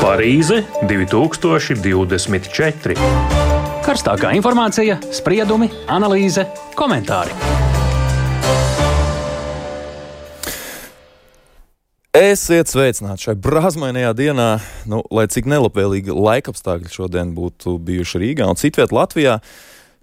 Parīze 2024. Karstākā informācija, spriedumi, analīze, komentāri. Esiet sveicināti šai brāzmainajā dienā, lai cik nelabvēlīgi laikapstākļi šodien būtu bijuši Rīgā un citviet Latvijā.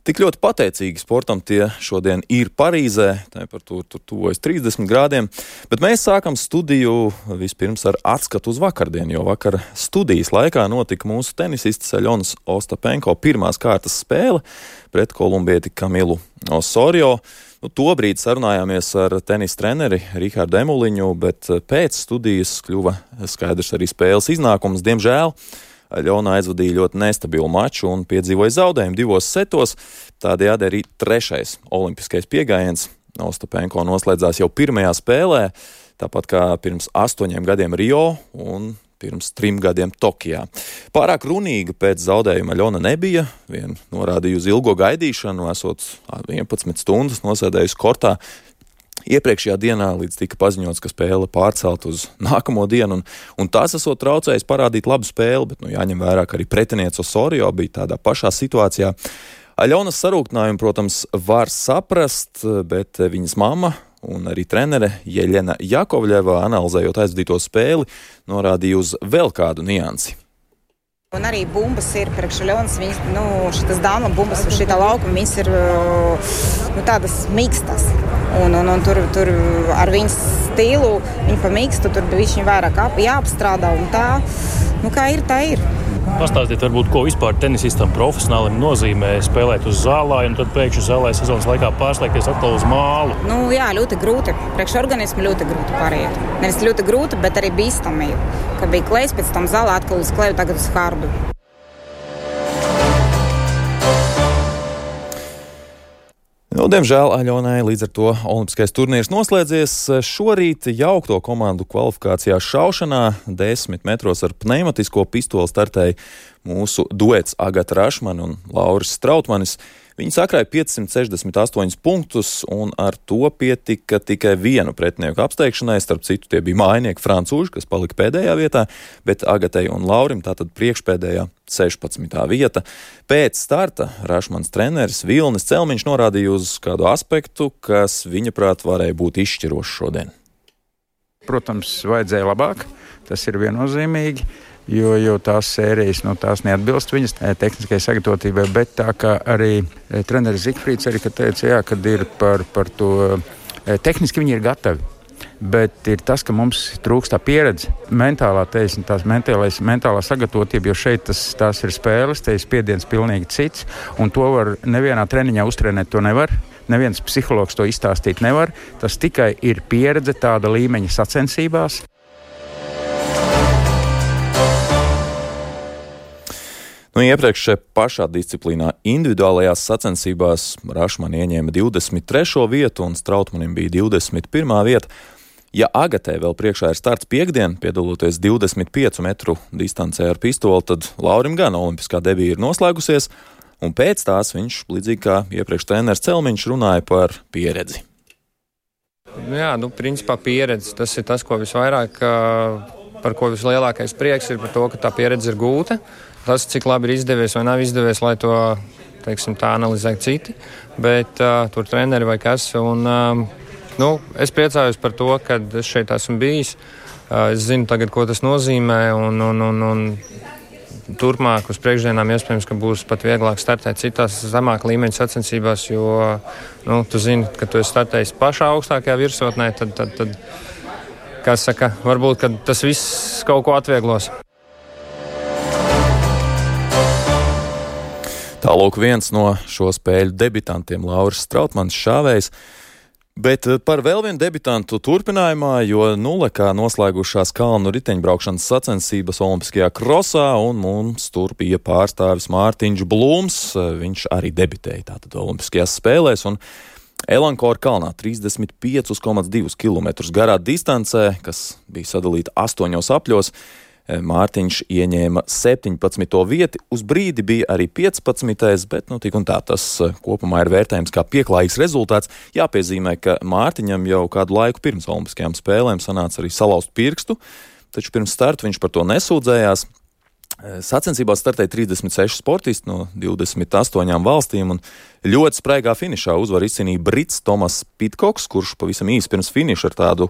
Tik ļoti pateicīgi sportam tie šodien ir Parīzē, temperatūra tur tuvojas 30 grādiem, bet mēs sākam studiju vispirms ar atskatu uz vakardienu, jo vakar studijas laikā notika mūsu tenisistes Aļonas Ostapenko pirmās kārtas spēle pret kolumbieti Kamilu Osorio. Tobrīd sarunājāmies ar tenisa treneri Rihardu Emuliņu, bet pēc studijas kļuva skaidrs arī spēles iznākums. Diemžēl Aļona aizvadīja ļoti nestabilu maču un piedzīvoja zaudējumu 2 setos. Tādējādi arī 3. olimpiskais piegājiens Ostapenko noslēdzās jau pirmajā spēlē, tāpat kā pirms 8 gadiem Rio un pirms 3 gadiem Tokijā. Pārāk runīga pēc zaudējuma Aļona nebija, vien norādīja uz ilgo gaidīšanu, esot 11 stundas nosēdējusi kortā. Iepriekšējā dienā līdz tika paziņots, ka spēle pārcelt uz nākamo dienu, un tas esot traucējis parādīt labu spēli, bet jāņem vērā, ka arī pretiniece Osorio bija tādā pašā situācijā. Aļonas sarūktinājumu, protams, var saprast, bet viņas mamma un arī trenere Jeļena Jakovļeva, analizējot aizvadīto spēli, norādīja uz vēl kādu niansi. Un arī bumbas ir priekš Aļonas, šitas dāma bumbas uz šitā laukuma, viņas ir tādas mīkstas. Un tur ar viņas stilu, viņa pa mīkstu, tur viņa vairāk jāapstrādā un tā. Kā ir, tā ir. Pastāstiet varbūt, ko vispār tenisistam profesionālim nozīmē spēlēt uz zālē un tad pēkšņi zālē sezonas laikā pārslēgties atkal uz mālu. Jā, ļoti grūti. Priekš organismu ļoti grūti pāriet. Nevis ļoti grūti, bet arī bīstami. Ka bija klejs, pēc tam zālē atkal uz kleju, tagad uz hardu. Diemžēl Aļonai līdz ar to olimpiskais turnīrs noslēdzies. Šorīt jaukto komandu kvalifikācijā šaušanā 10 metros ar pneimatisko pistoli startēja mūsu duets Agata Rašmane un Lauris Strautmanis. Viņi sakrāja 568 punktus, un ar to pietika tikai vienu pretinieku apsteigšanai. Starp citu, tie bija mājinieki francūži, kas palika pēdējā vietā, bet Agatai un Laurim tātad priekšpēdējā 16. vieta. Pēc starta Rašmans treneris Vilnis Celmiņš norādīja uz kādu aspektu, kas viņa prāt varēja būt izšķirošs šodien. Protams, vajadzēja labāk, tas ir viennozīmīgi. Jo tās sērijas, tās neatbilst viņas tehniskai sagatavotībai, bet tā kā arī treneris Zikfrīds arī teica, kad ir par to, tehniski viņi ir gatavi, bet ir tas, ka mums trūkst tā pieredze, mentālā teisne, tās mentālā sagatavotība, jo šeit tās ir spēles, te ir spiediens pilnīgi cits, un to var nevienā treniņā uztrenēt, to nevar. Neviens psihologs to izstāstīt nevar, tas tikai ir pieredze tāda līmeņa sacensībās. Iepriekš pašā disciplīnā individuālajās sacensībās Rašmane ieņēma 23. vietu un Strautmanim bija 21. vieta. Ja Agatē vēl priekšā ir starts piekdien, piedaloties 25 metru distancē ar pistoli, tad Laurim gan olimpiskā debija ir noslēgusies, un pēc tās viņš, līdzīgi kā iepriekš treneris Celmiņš, runāja par pieredzi. Principā pieredze, tas ir tas, ko visvairāk, par ko vislielākais prieks ir par to, ka tā pieredze ir gūta. Tas, cik labi ir izdevies vai nav izdevies, lai to, tā analizē citi, bet tur treneri vai kas. Un, es priecājos par to, ka es šeit esmu bijis. Es zinu tagad, ko tas nozīmē, un turpmāk uz priekšdienām iespējams, ka būs pat vieglāk startēt citās zemāk līmeņa sacensībās, jo, tu zini, ka tu esi startējis pašā augstākajā virsotnē, tad kas saka, varbūt, ka tas viss kaut ko atvieglos. Tālūk viens no šo spēļu debitantiem Lauris Strautmanis šāvējs, bet par vēl vienu debitantu turpinājumā, jo nulekā noslēgušās kalnu riteņbraukšanas sacensības olimpiskajā krosā, un mums tur bija pārstāvis Mārtiņš Blūms, viņš arī debitēja tātad olimpiskajās spēlēs, un Elankora kalnā 35,2 km garā distancē, kas bija sadalīta 8 apļos, Mārtiņš ieņēma 17. vieti, uz brīdi bija arī 15. bet tik un tā tas kopumā ir vērtējums kā pieklājīgs rezultāts. Jāpiezīmē, ka Mārtiņam jau kādu laiku pirms olimpiskajām spēlēm sanāca arī salauzt pirkstu, taču pirms starta viņš par to nesūdzējās. Sacensībās startēja 36 sportisti no 28 valstīm, un ļoti spraigā finišā uzvaru izcīnīja brits Tomas Pitkoks, kurš pavisam īsi pirms finiša ar tādu,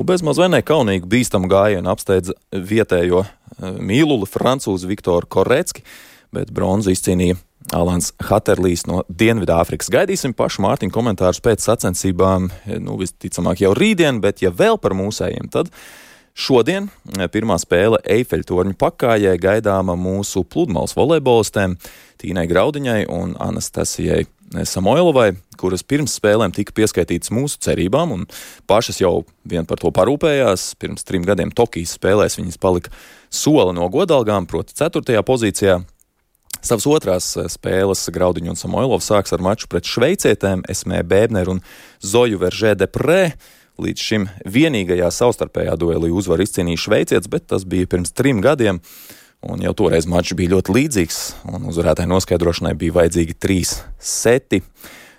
bezmaz vai nekaunīgu bīstamu gājienu apsteidza vietējo mīluli francūzi Viktoru Korecki, bet bronzu izcīnīja Alans Haterlijs no Dienvidāfrikas. Gaidīsim pašu Mārtiņu komentārus pēc sacensībām, visticamāk jau rītdien, bet ja vēl par mūsējiem, tad šodien pirmā spēle Eifeļtorņu pakājai gaidāma mūsu pludmales volejbolistēm Tīnai Graudiņai un Anastasijai Samoilovai, kuras pirms spēlēm tika pieskaitītas mūsu cerībām un pašas jau vien par to parūpējās. Pirms 3 gadiem Tokijas spēlēs viņas palika soli no godalgām, proti 4. pozīcijā. Savas otrās spēles Graudiņa un Samoilova sāks ar maču pret šveicietēm Esmē Bēbner un Zoju Veržē Deprē. Līdz šim vienīgajā savstarpējā duelī uzvaru izcīnīja šveicietis, bet tas bija pirms 3 gadiem, un jau toreiz mačs bija ļoti līdzīgs, un uzvarētāju noskaidrošanai bija vajadzīgi 3 seti.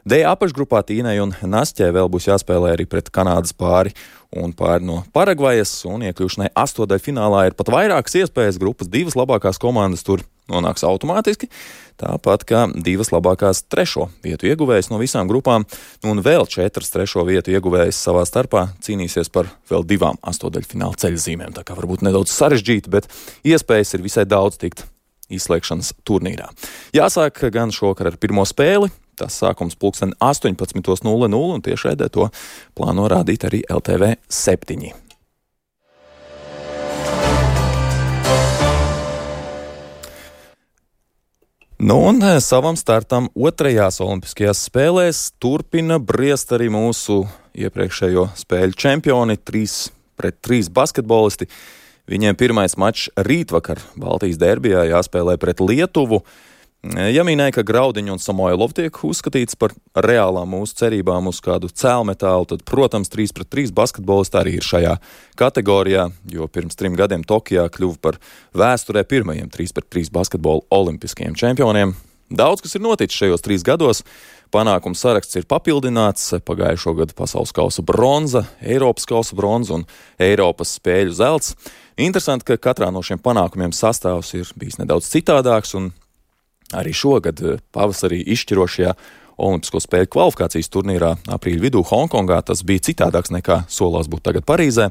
D apakšgrupā Tīnai un Nasķē vēl būs jāspēlē arī pret Kanādas pāri un pāri no Paragvajas, un iekļūšanai astotdaļfinālā ir pat vairākas iespējas. Grupas 2 labākās komandas tur nonāks automātiski, tāpat kā 2 labākās 3. vietu ieguvējas no visām grupām, un vēl 4 3. vietu ieguvējas savā starpā cīnīsies par vēl 2 astotdaļfināla ceļzīmēm, tā kā varbūt nedaudz sarežģīti, bet iespējas ir visai daudz tikt izslēgšanas turnīrā. Jāsāk gan šokar ar pirmo spēli. Tas sākums 18:00, un tiešraidē to plāno rādīt arī LTV 7. Un savam startam 2. olimpiskajās spēlēs turpina briest arī mūsu iepriekšējo spēļu čempioni, 3-3 basketbolisti. Viņiem pirmais mačs rītvakar Baltijas derbijā jāspēlē pret Lietuvu. Ja minēja, ka Graudiņa un Samoilova tiek uzskatīts par reālām mūsu cerībām uz kādu cēlmetālu, tad, protams, 3-3 basketbolisti arī ir šajā kategorijā, jo pirms 3 gadiem Tokijā kļuva par vēsturē pirmajiem 3-3 basketbola olimpiskajiem čempioniem. Daudz, kas ir noticis šajos 3 gados, panākumu saraksts ir papildināts, pagājušo gadu pasaules kausa bronza, Eiropas kausa bronza un Eiropas spēļu zelts. Interesanti, ka katrā no šiem panākumiem sastāvs ir bijis nedaudz citādāks, un arī šogad pavasarī izšķirošajā Olimpisko spēļu kvalifikācijas turnīrā aprīļa vidū Hongkongā tas bija citādāks nekā solās būt tagad Parīzē.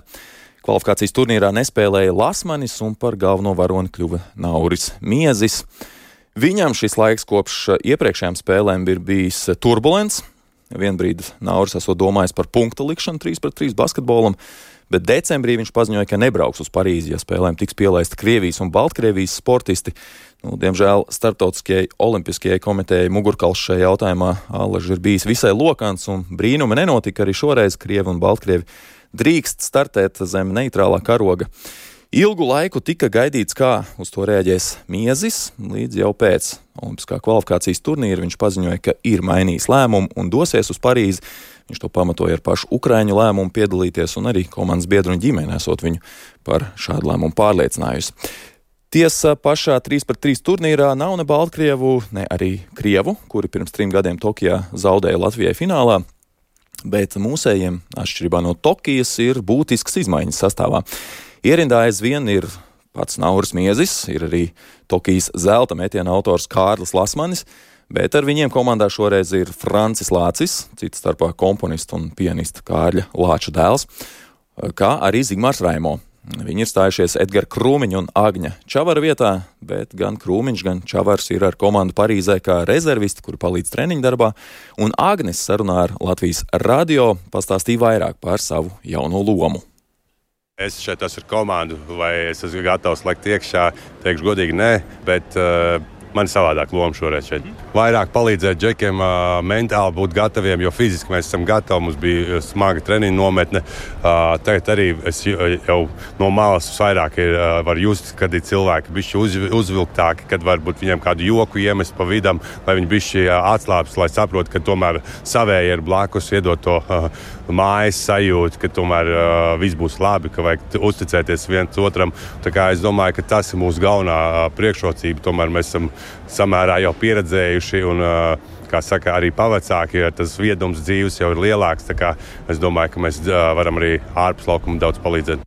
Kvalifikācijas turnīrā nespēlēja Lasmanis un par galveno varoni kļuva Nauris Miezis. Viņam šis laiks kopš iepriekšējām spēlēm ir bijis turbulents. Vienbrīd Nauris esot domājis par punkta likšanu 3-3 basketbolam, bet decembrī viņš paziņoja, ka nebrauks uz Parīzi, ja spēlēm tiks pielaista Krievijas un Baltkrievijas sportisti. Diemžēl Starptautiskajai olimpiskajai komitejai mugurkauls šajā jautājumā allaž ir bijis visai lokants, un brīnumi nenotika arī šoreiz. Krievi un Baltkrievi drīkst startēt zem neitrālā karoga. Ilgu laiku tika gaidīts, kā uz to reaģēs Miezis, līdz jau pēc olimpiskā kvalifikācijas turnīra viņš paziņoja, ka ir mainījis lēmumu un dosies uz Parīzi. Viņš to pamatoja ar pašu ukraiņu lēmumu piedalīties, un arī komandas biedru un ģimene esot viņu par šādu lēmumu pārliecinājusi. Tiesa, pašā 3-3 turnīrā nav ne Baltkrievu, ne arī Krievu, kuri pirms 3 gadiem Tokijā zaudēja Latvijai finālā, bet mūsējiem, atšķirībā no Tokijas, ir būtisks izmaiņas sastāvā. Ierindā aizvien ir pats Nauris Miezis, ir arī Tokijas zelta metiena autors Kārlis Lasmanis, bet ar viņiem komandā šoreiz ir Francis Lācis, cits starpā komponists un pianista Kārļa Lāča dēls, kā arī Zigmārs Raimo. Viņi ir stājušies Edgara Krūmiņa un Agņa Čavara vietā, bet gan Krūmiņš, gan Čavars ir ar komandu Parīzē kā rezervisti, kuri palīdz treniņu darbā, un Agnes sarunā ar Latvijas radio pastāstīja vairāk par savu jauno lomu. Es šeit esmu ar komandu, vai es esmu gatavs lekt iekšā, teikšu godīgi nē, bet man ir savādāk loma šoreiz šeit. Vairāk palīdzēt džekiem mentāli būt gataviem, jo fiziski mēs esam gatavi. Mums bija smaga treniņa nometne. Tagad arī es jau no malas vairāk var just, kad ir cilvēki bišķi uzvilktāki, kad varbūt viņiem kādu joku iemest pa vidam, lai viņi bišķi atslāpst, lai saprot, ka tomēr savēji ir blakus, iedot to mājas sajūtu, ka tomēr viss būs labi, ka vajag uzticēties viens otram. Tā kā es domāju, ka tas ir mūsu galvenā priekšrocība. Tomēr mēs esam samērā jau pieredzējuši un, kā saka, arī pavecāki, tas viedums dzīves jau ir lielāks. Tā kā es domāju, ka mēs varam arī ārpus laukuma daudz palīdzēt.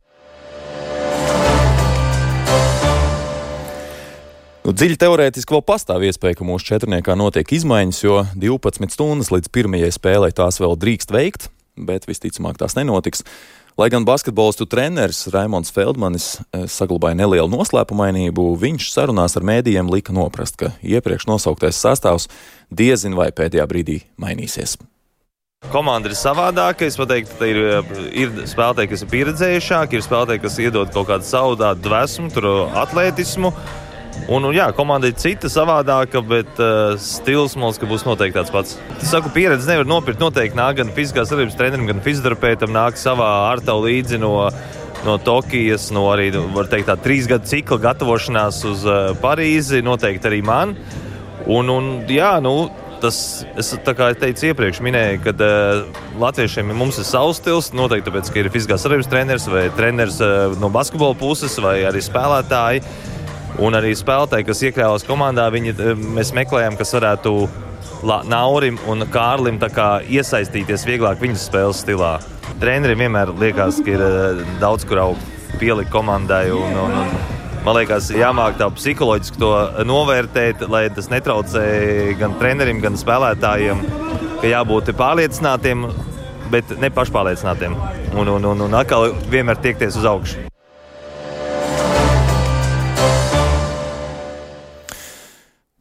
Dziļi teorētiski vēl pastāv iespēja, ka mūsu četrniekā notiek izmaiņas, jo 12 stundas līdz pirmajai spēlei tās vēl drīkst veikt, bet visticamāk tās nenotiks. Lai gan basketbolistu treneris Raimonds Feldmanis saglabāja nelielu noslēpumainību, viņš sarunās ar mēdījiem lika noprast, ka iepriekš nosauktais sastāvs diezin vai pēdējā brīdī mainīsies. Komanda ir savādāka. Es pateiktu, ka ir spēlētāji, kas ir pieredzējušāki, ir spēlētāji, kas iedod kaut kādu savu tādu dvēsmu, atletismu. Un jā, komanda ir cita, savādāka, bet stils, man liekas, ka būs noteikti tāds pats. Es saku, pieredzi nevar nopirkt. Noteikti nāk gan fiziskās darbības trenerim, gan fizioterapeitam nāk savā ārtavu līdzi no Tokijas, no arī, var teikt, tā 3 gadu cikla gatavošanās uz Parīzi, noteikti arī man. Jā, tas, es tā kā teicu iepriekš, minēju, ka latviešiem mums ir savs stils, noteikti tāpēc, ka ir fiziskās darbības treneris vai treneris no basketbola puses vai arī spēlētāji. Un arī spēlētāji, kas iekļāvās komandā, mēs meklējam, kas varētu Naurim un Kārlim tā kā iesaistīties vieglāk viņas spēles stilā. Treneriem vienmēr liekas, ka ir daudz, kur pielikt komandai. Man liekas, jāmāk tā psiholoģiski to novērtēt, lai tas netraucē gan trenerim, gan spēlētājiem, ka jābūt pārliecinātiem, bet ne pašpārliecinātiem. Un atkal vienmēr tiekties uz augšu.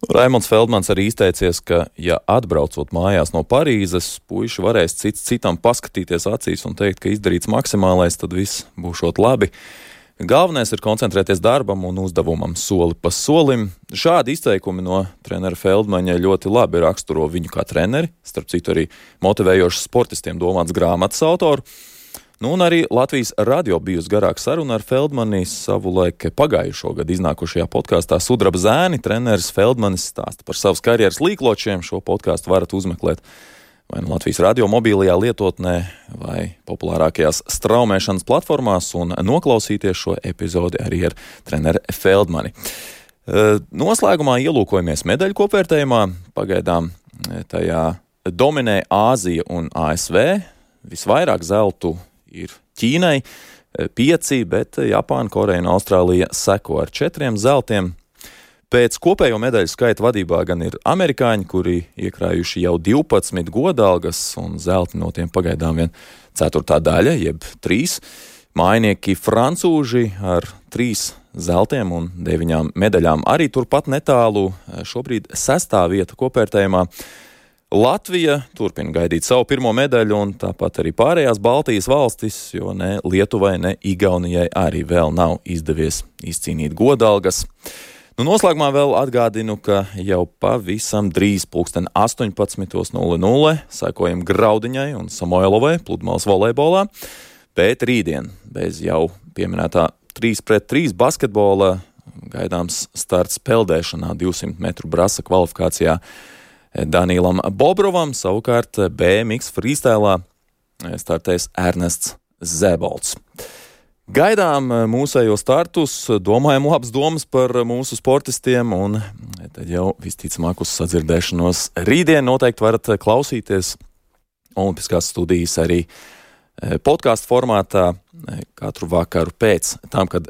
Raimonds Feldmans arī izteicies, ka, ja atbraucot mājās no Parīzes, puiši varēs cits citam paskatīties acīs un teikt, ka izdarīts maksimālais, tad viss būšot labi. Galvenais ir koncentrēties darbam un uzdevumam soli pa solim. Šādi izteikumi no trenera Feldmaņa ļoti labi raksturo viņu kā treneri, starp citu arī motivējošs sportistiem domāts grāmatas autoru. Un arī Latvijas radio bijusi garāka saruna ar Feldmani savulaik pagājušo gadu iznākušajā podkāstā Sudraba zēni. Treneris Feldmanis stāsta par savas karjeras līkločiem. Šo podkāstu varat uzmeklēt vai no Latvijas radio mobilajā lietotnē vai populārākajās straumēšanas platformās un noklausīties šo epizodi arī ar treneri Feldmani. Noslēgumā ielūkojamies medaļu kopvērtējumā. Pagaidām tajā dominē Āzija un ASV. Visvairāk zeltu ir Ķīnai 5, bet Japāna, Koreja un Austrālija seko ar 4 zeltiem. Pēc kopējo medaļu skaita vadībā gan ir amerikāņi, kuri iekrājuši jau 12 godalgas, un zelti no tiem pagaidām vien 4. daļa, jeb 3. Mājnieki francūži ar 3 zeltiem un 9 medaļām arī turpat netālu, šobrīd 6. vieta kopvērtējumā. Latvija turpina gaidīt savu pirmo medaļu, un tāpat arī pārējās Baltijas valstis, jo ne Lietuvai, ne Igaunijai arī vēl nav izdevies izcīnīt godalgas. Noslēgumā vēl atgādinu, ka jau pavisam drīz 18:00 sekojam Graudiņai un Samoilovai pludmales volejbolā, bet rītdien bez jau pieminētā 3-3 basketbola gaidāms starts peldēšanā 200 metru brasa kvalifikācijā Danīlam Bobrovam, savukārt BMX freestēlā startēs Ernests Zēbolts. Gaidām mūsējo startus, domājam labas domas par mūsu sportistiem, un tad jau visticamāk uz sadzirdēšanos rītdien noteikti varat klausīties Olimpiskās studijas arī podkāstu formātā katru vakaru pēc tam, kad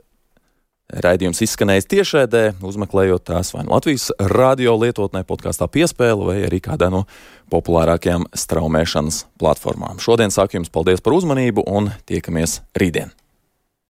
raidījums izskanējis tiešraidē, uzmeklējot tās vai no Latvijas radio lietotnē podkāstā Piespēle vai arī kādā no populārākajām straumēšanas platformām. Šodien saku jums paldies par uzmanību un tiekamies rītdien!